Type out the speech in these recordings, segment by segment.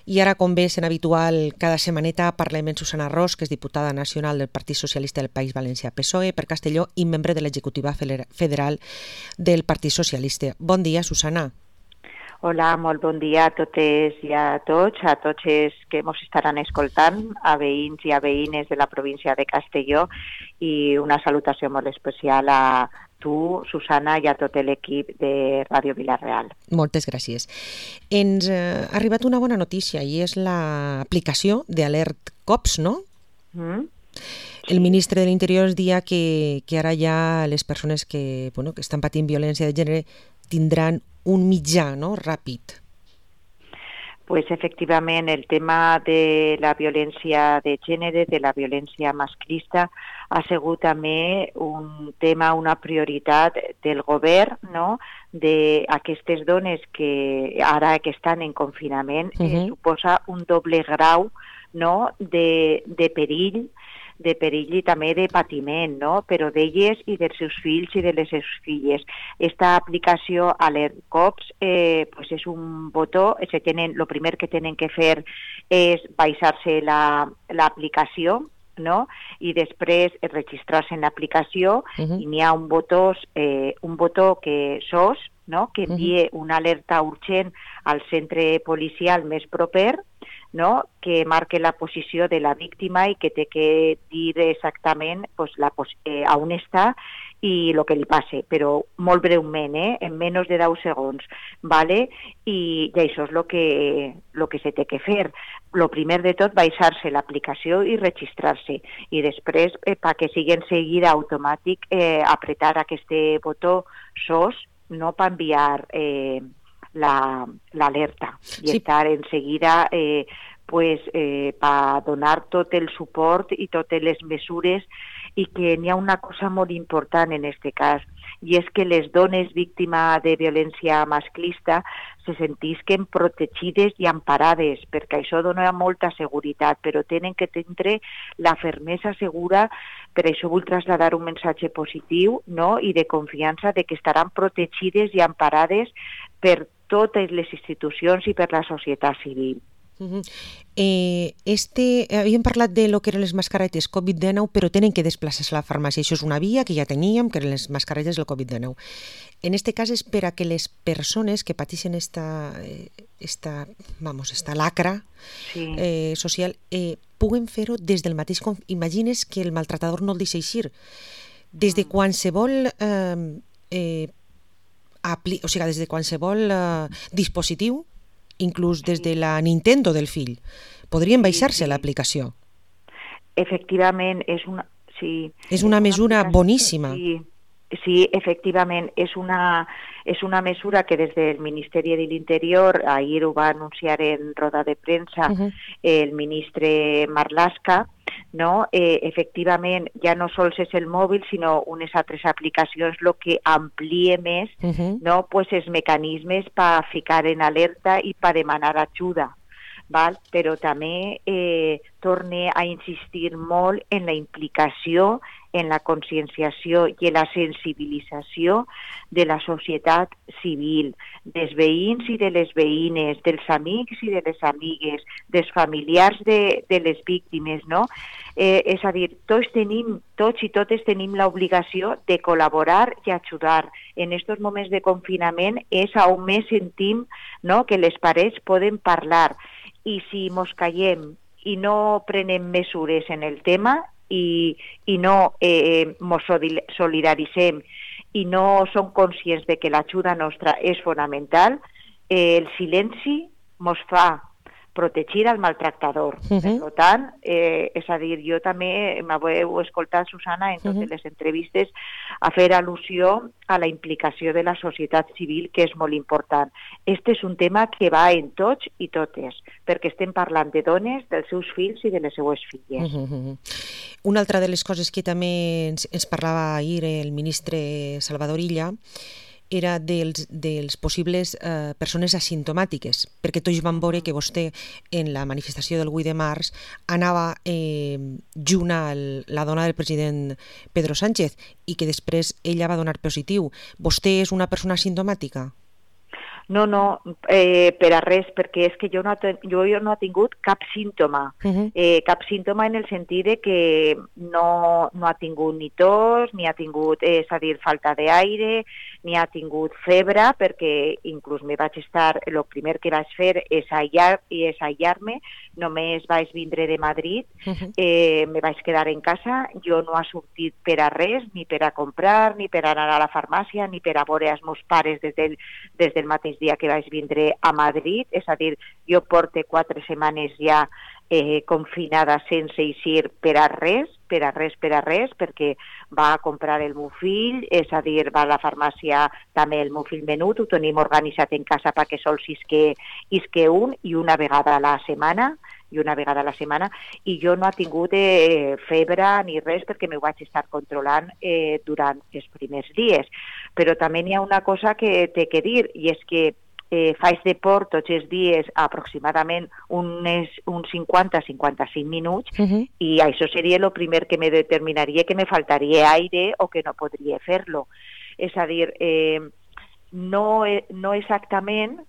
I ara, com bé sent habitual, cada setmaneta parlem amb Susana Ros, que és diputada nacional del Partit Socialista del País Valencià PSOE per Castelló i membre de l'executiva federal del Partit Socialista. Bon dia, Susana. Hola, molt bon dia a totes i a tots els que ens estaran escoltant, a veïns i a veïnes de la província de Castelló, i una salutació molt especial a tu, Susana, i a tot l'equip de Ràdio Vila-real. Moltes gràcies. Ens ha arribat una bona notícia i és l'aplicació d'Alert Cops, no? El ministre de l'Interior ens deia que ara ja les persones que estan patint violència de gènere tindran un mitjà, no?, ràpid. Pues efectivament, el tema de la violència de gènere, de la violència masclista, ha sigut també un tema, una prioritat del govern, no?, d'aquestes dones que ara que estan en confinament, suposa un doble grau, no?, de perill i també de patiment, no?, però d'elles i dels seus fills i de les seves filles. Esta aplicació Alert Cops pues és un botó, el primer que tenen que fer és baixar-se l'aplicació, no?, i després registrar-se en l'aplicació, i n'hi ha un botó que SOS, no?, que envia una alerta urgent al centre policial més proper, no?, que marque la posició de la víctima i que té que dir exactament on està i el que li passa, però molt breument, en menys de 10 segons, ¿vale? I això és el que se té que fer. El primer de tot, baixar-se l'aplicació i registrar-se, i després, perquè sigui en seguida automàtic, apretar aquest botó SOS, no, per enviar l'alerta i estar en seguida per donar tot el suport i totes les mesures, i que n'hi ha una cosa molt important en aquest cas, i és que les dones víctimes de violència masclista se sentisquen protegides i emparades, perquè això dona molta seguretat, però tenen que tindre la fermesa segura. Per això vull traslladar un missatge positiu, no?, i de confiança de que estaran protegides i emparades per totes les institucions i per la societat civil. Havíem parlat de lo que eren les mascaretes Covid-19, però tenen que desplaçar-se a la farmàcia. Això és una via que ja teníem, que eren les mascaretes del Covid-19. En este cas és per a que les persones que pateixen esta lacra social puguen fer-ho des del mateix. Imagines que el maltratador no el deixa eixir. Des de qualsevol des de qualsevol dispositiu, inclús des de la Nintendo del fill, podrien baixar-se l'aplicació. Efectivament, és una mesura boníssima. Sí, efectivament, és una mesura que des del Ministeri de l'Interior, ahir ho va anunciar en roda de premsa el ministre Marlaska, no? Efectivament, ja no sols és el mòbil, sinó unes altres aplicacions, el que amplia més, no?, pues els mecanismes per ficar en alerta i per demanar ajuda. Val? Però també torne a insistir molt en la implicació, en la conscienciació i en la sensibilització de la societat civil, dels veïns i de les veïnes, dels amics i de les amigues, dels familiars de les víctimes, no? És a dir, tots i totes tenim l'obligació de col·laborar i ajudar. En aquests moments de confinament és on més sentim, no?, que les parets poden parlar. I si mos callem i no prenem mesures en el tema i no mos solidaritzem i no som conscients de que l'ajuda nostra és fonamental, el silenci mos fa protegir al maltractador. Per tant, és a dir, jo també m'heu escoltat, Susana, en totes les entrevistes a fer al·lusió a la implicació de la societat civil, que és molt important. Este és un tema que va en tots i totes, perquè estem parlant de dones, dels seus fills i de les seues filles. Una altra de les coses que també ens parlava ahir el ministre Salvador Illa era dels possibles persones asimptomàtiques, perquè tots van veure que vostè en la manifestació del 8 de març anava junt a la dona del president Pedro Sánchez i que després ella va donar positiu. Vostè és una persona asimptomàtica? No, per a res, perquè és que jo no he tingut cap símptoma. Cap símptoma en el sentit de que no ha tingut ni tos, ni ha tingut, és a dir, falta d'aire, ni ha tingut febre, perquè inclús el primer que vaig fer és aïllar-me, només vaig vindre de Madrid, me vaig quedar en casa, jo no he sortit per a res, ni per a comprar, ni per a anar a la farmàcia, ni per a veure els meus pares des del mateix dia que vaig vindre a Madrid, és a dir, jo porto 4 setmanes ja confinada sense eixir per a res, perquè va a comprar el meu fill, és a dir, va a la farmàcia també el meu fill menut, ho tenim organitzat en casa perquè sols isque un i una vegada a la setmana, i jo no he tingut febre ni res perquè m'ho vaig estar controlant durant els primers dies. Però també hi ha una cosa que té que dir, i és que faig deport tots els dies aproximadament uns 50-55 minuts, i això seria el primer que me determinaria que me faltaria aire o que no podria fer-lo. És a dir, no exactament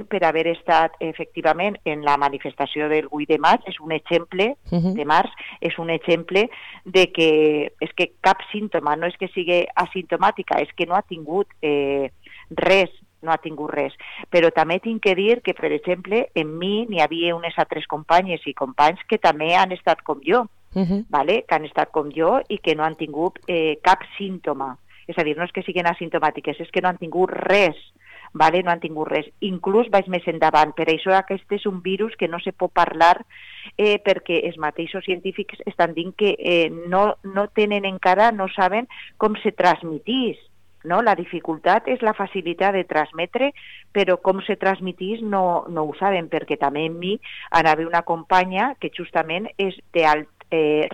per haver estat efectivament en la manifestació del 8 de maig, és un exemple de març, és un exemple de que és que cap símptoma, no és que sigui asimptomàtica, és que no ha tingut res, però també tinc que dir que, per exemple, en mi n'hi havia unes altres companyes i companys que també han estat com jo, que han estat com jo i que no han tingut cap símptoma. És a dir, no és que siguin asimptomàtiques, és que no han tingut res, no han tingut res. Inclús vaig més endavant. Per això aquest és un virus que no se pot parlar perquè els mateixos científics estan dient que no tenen encara, no saben com se transmetís. No? La dificultat és la facilitat de transmetre, però com se transmetís no ho saben, perquè també en mi anava una companya que justament és d'alt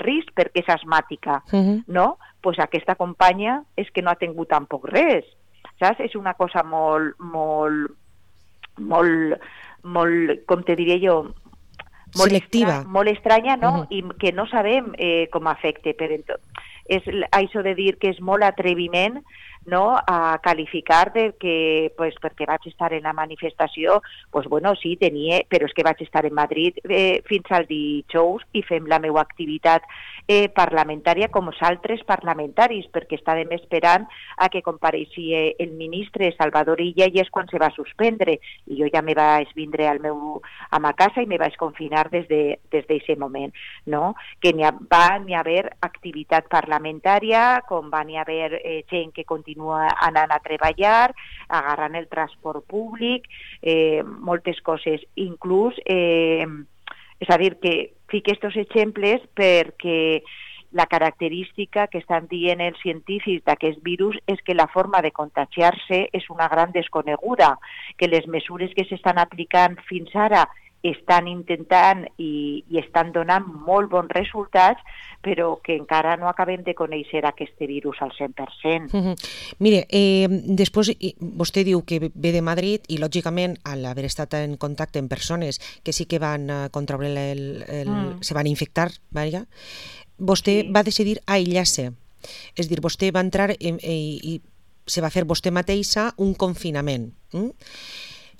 risc perquè és asmàtica, no? Pues aquesta companya és que no ha tingut tampoc res, saps? És una cosa molt, com te diria jo, selectiva, molt estranya, no? I que no sabem com afecta. És això de dir que és molt atreviment, no, a qualificar de que, pues, perquè vaig estar en la manifestació, pues bueno, sí, però és que vaig estar en Madrid fins al dijous i fem la meva activitat parlamentària com els altres parlamentaris, perquè estàvem esperant a que compareixia el ministre Salvador Illa, i és quan se va suspendre, i jo ja me vaig vindre a ma casa i me vaig confinar des d'aquest moment, no? Que va n'hi haver activitat parlamentària, com va n'hi haver gent que continua anant a treballar, agarrant el transport públic, moltes coses, inclús, és a dir, que fique aquests exemples perquè la característica que estan dient els científics d'aquest virus és que la forma de contagiar-se és una gran desconeguda, que les mesures que s'estan aplicant fins ara estan intentant i estan donant molt bons resultats, però que encara no acabem de conèixer aquest virus al 100%. Mire, després vostè diu que ve de Madrid i, lògicament, al haver estat en contacte amb persones que sí que van contraure se van infectar, vostè va decidir aïllar-se. És a dir, vostè va entrar i se va fer vostè mateixa un confinament.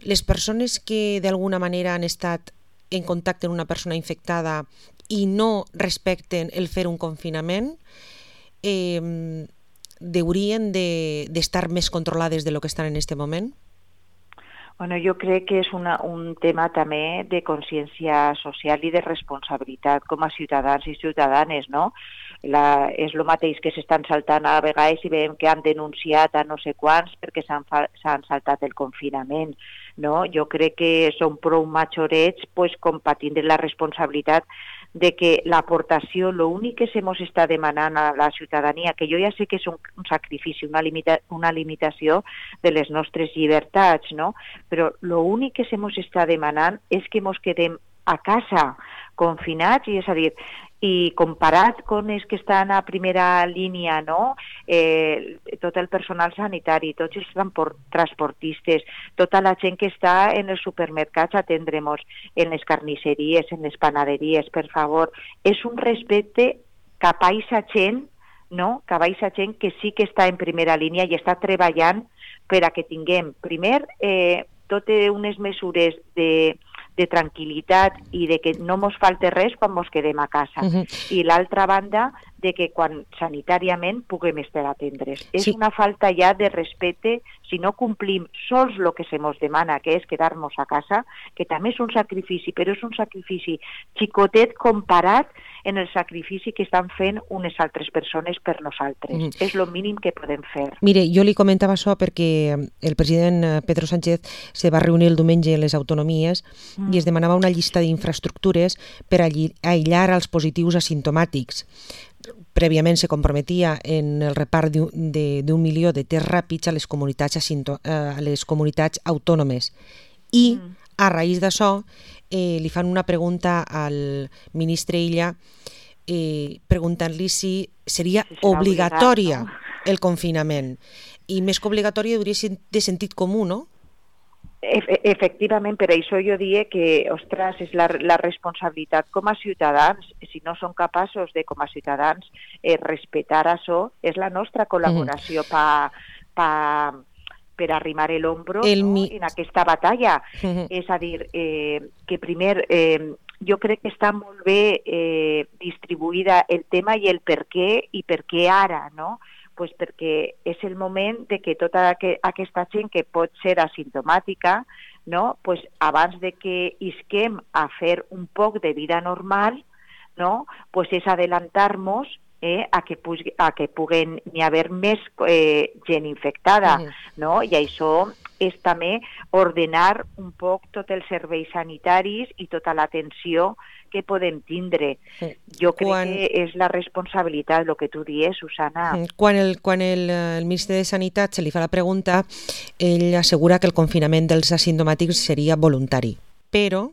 Les persones que d'alguna manera han estat en contacte amb una persona infectada i no respecten el fer un confinament haurien d'estar més controlades de lo que estan en aquest moment? Bueno, jo crec que és un tema també de consciència social i de responsabilitat com a ciutadans i ciutadanes, no? És el mateix que s'estan saltant a vegades i veiem que han denunciat a no sé quants perquè s'han saltat el confinament, no? Jo crec que són prou majorets com per tindre la responsabilitat de que l'aportació, l'únic que se mos està demanant a la ciutadania, que jo ja sé que és un sacrifici, una limitació de les nostres llibertats, no? Però l'únic que se mos està demanant és que mos quedem a casa, confinats, i és a dir, i comparat amb els que estan a primera línia, no? Tot el personal sanitari, tots els transportistes, tota la gent que està en els supermercats a atendre-nos, en les carnisseries, en les panaderies, per favor, és un respecte cap a aquesta gent, no? Cap a aquesta gent que sí que està en primera línia i està treballant per a que tinguem, primer, totes unes mesures de tranquil·litat i de que no mos falte res quan mos quedem a casa. I l'altra banda, de que quan sanitàriament puguem estar atendres. És una falta ja de respecte si no complim sols el que se mos demana, que és quedar-nos a casa, que també és un sacrifici, però és un sacrifici xicotet comparat en el sacrifici que estan fent unes altres persones per nosaltres. És el mínim que podem fer. Mire, jo li comentava això perquè el president Pedro Sánchez se va reunir el diumenge a les autonomies i es demanava una llista d'infraestructures per aïllar els positius asimptomàtics. Prèviament se comprometia en el repart d'1 milió de tests ràpids a les comunitats autònomes. I, a raïs d'això, li fan una pregunta al ministre Illa preguntant-li si seria obligatòria el confinament. I més que obligatòria hauria de ser de sentit comú, no? Efectivament, per això jo diria que, ostres, és la responsabilitat com a ciutadans, si no som capaços de, com a ciutadans, respectar això, és la nostra col·laboració per arrimar l'ombro en aquesta batalla. És a dir, que primer, jo crec que està molt bé distribuïda el tema i el per què i per què ara, no? Pues perquè és el moment de que tota aquesta gent que pot ser asimptomàtica, no? Pues abans de que isquem a fer un poc de vida normal, no? Pues és adelantar-nos a que puguen n'hi haver més gent infectada, no? I això és també ordenar un poc tots els serveis sanitaris i tota l'atenció que podem tindre. Jo crec que és la responsabilitat, el que tu dius, Susana. Quan el ministre de Sanitat se li fa la pregunta, ell assegura que el confinament dels asimptomàtics seria voluntari. Però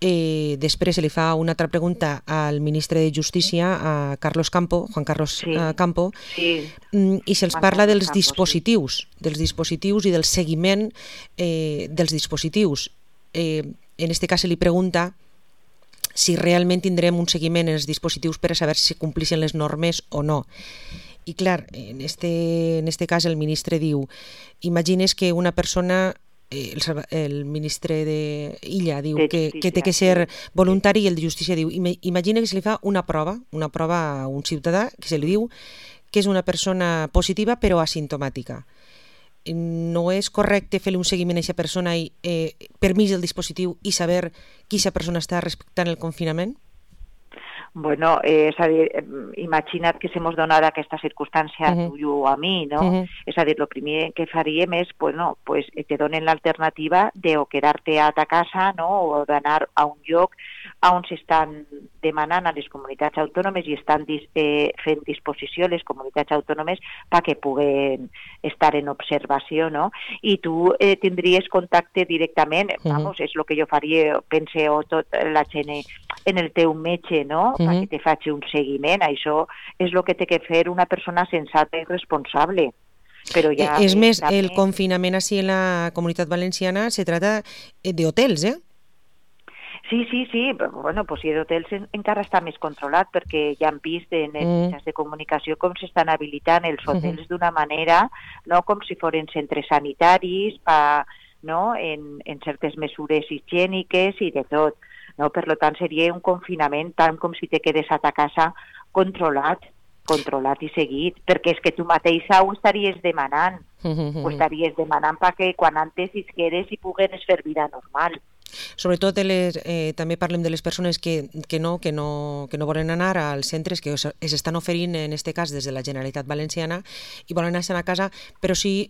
després se li fa una altra pregunta al ministre de Justícia, a Juan Carlos Campo, i se'ls parla dels dispositius i del seguiment dels dispositius. En aquest cas se li pregunta si realment tindrem un seguiment en els dispositius per a saber si complixen les normes o no. I clar, en este cas el ministre diu, imagines que una persona, el ministre d'Illa diu que té que ser voluntari, i el de Justícia diu, imagina que se li fa una prova a un ciutadà que se li diu que és una persona positiva però asimptomàtica. No és correcte fer-li un seguiment a aquesta persona i permís del dispositiu i saber que aquesta persona està respectant el confinament? Bueno, és a dir, imagina't que se mos donara aquesta circumstància a tu i a mi, no? És a dir, el primer que faríem és, bueno, pues te donen l'alternativa de o quedar-te a ta casa, no? O d'anar a un lloc on s'estan demanant a les comunitats autònomes i estan fent disposició les comunitats autònomes perquè puguen estar en observació, no? I tu tindries contacte directament, vamos, és el que jo faria, pense, o tot la gent en el teu metge, no? Perquè te faci un seguiment. Això és el que té que fer una persona sensata i responsable. Però ja és més, el confinament així en la Comunitat Valenciana se trata de hotels, eh? Sí. Bueno, pues d'hotels encara està més controlat perquè ja han vist en els mitjans de comunicació com s'estan habilitant els hotels d'una manera, no com si foren centres sanitaris, no? En certes mesures higièniques i de tot. No? Per tant, seria un confinament tant com si te quedes a ta casa controlat i seguit, perquè és que tu mateixa ho estaries demanant. Ho estaries demanant perquè quan antes isqueres i pogueres fer vida normal. Sobretot també parlem de les persones que no volen anar als centres que s'estan oferint, en aquest cas des de la Generalitat Valenciana, i volen anar a casa, però sí,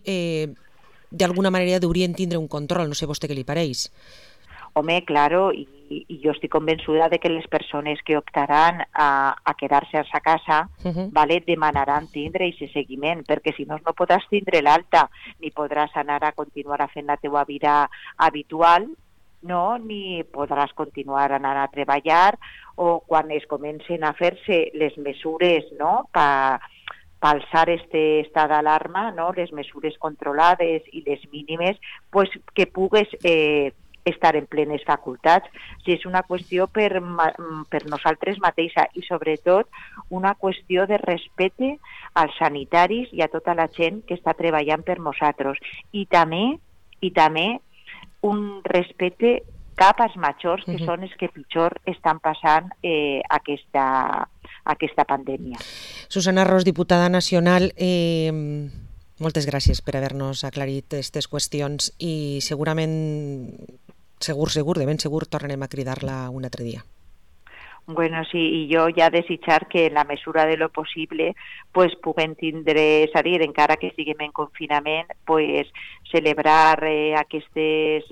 d'alguna manera haurien tindre un control, no sé vostè què li pareix. Home, claro, i jo estic convençuda de que les persones que optaran a quedar-se a sa casa demanaran tindre aquest seguiment, perquè si no podràs tindre l'alta, ni podràs anar a continuar a fer la teua vida habitual, no? Ni podràs continuar a anar a treballar, o quan es comencen a fer-se les mesures, no?, per alçar aquest estat d'alarma, no?, les mesures controlades i les mínimes, pues que pugues estar en plenes facultats. Si és una qüestió per nosaltres mateixa i sobretot una qüestió de respecte als sanitaris i a tota la gent que està treballant per nosaltres. I també un respecte cap als majors, que són els que pitjor estan passant aquesta pandèmia. Susana Ros, diputada nacional, moltes gràcies per haver-nos aclarit aquestes qüestions i segurament, de ben segur, tornarem a cridar-la un altre dia. Bueno, sí, i jo ja desitjar que en la mesura de lo possible pues puguem tindre, és a dir, encara que estiguem en confinament, pues celebrar aquestes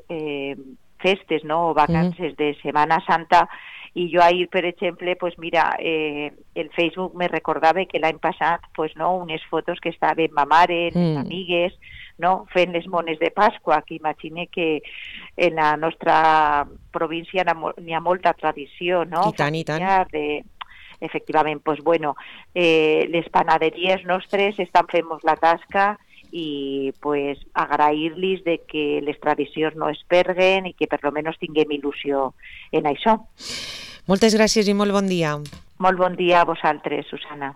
festes, no?, o vacances de Setmana Santa. I jo ahir, per exemple, pues mira, el Facebook me recordava que l'any passat, pues no, unes fotos que estaven ma mare, les amigues, no?, fent les mones de Pasqua, que imagine que en la nostra província n'hi ha molta tradició, no?, I tant. efectivament, pues bueno, les panaderies nostres estan fent-nos la tasca i pues agrair-los de que les tradicions no es perduen i que per lo menos tinguem il·lusió en això. Moltes gràcies i molt bon dia. Molt bon dia a vosaltres, Susana.